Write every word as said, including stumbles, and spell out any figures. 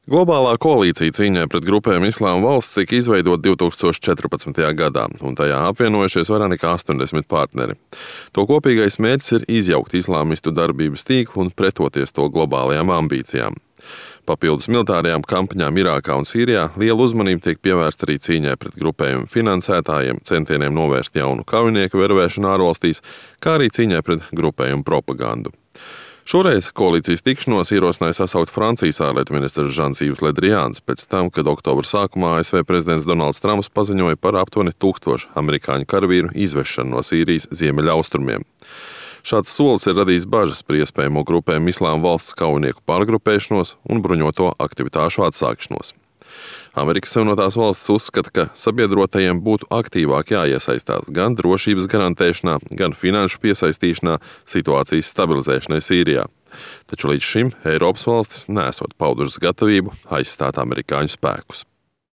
Globālā koalīcija cīņai pret grupējumu Islāma valsts tika izveidota divs tūkstoši četrpadsmitajā gadā, un tajā apvienojušies vairāk nekā astoņdesmit partneri. To kopīgais mērķis ir izjaukt islāmistu darbības tīklu un pretoties to globālajām ambīcijām. Papildus militārajām kampaņām Irākā un Sīrijā liela uzmanība tiek pievērsta arī cīņai pret grupējumu finansētājiem, centieniem novērst jaunu kaujinieku vervēšanu ārvalstīs, kā arī cīņai pret grupējumu propagandu. Šoreiz koalīcijas tikšanos ierosināja sasaukt Francijas ārlietu ministrs Žans-Yves Le Drians pēc tam, kad oktobra sākumā A S V prezidents Donalds Trumps paziņoja par aptuveni tūkstošu amerikāņu karavīru izvešanu no Sīrijas ziemeļaustrumiem. Šāds solis ir radījis bažas par iespējamo grupējumu Islāma valsts kaujinieku pārgrupēšanos un bruņoto aktivitāšu atsākšanos. Amerikas Savienotās valstis uzskata, ka sabiedrotajiem būtu aktīvāk jāiesaistās gan drošības garantēšanā, gan finanšu piesaistīšanā situācijas stabilizēšanai Sīrijā. Taču līdz šim Eiropas valstis nesot paudušas gatavību aizstāt amerikāņu spēkus.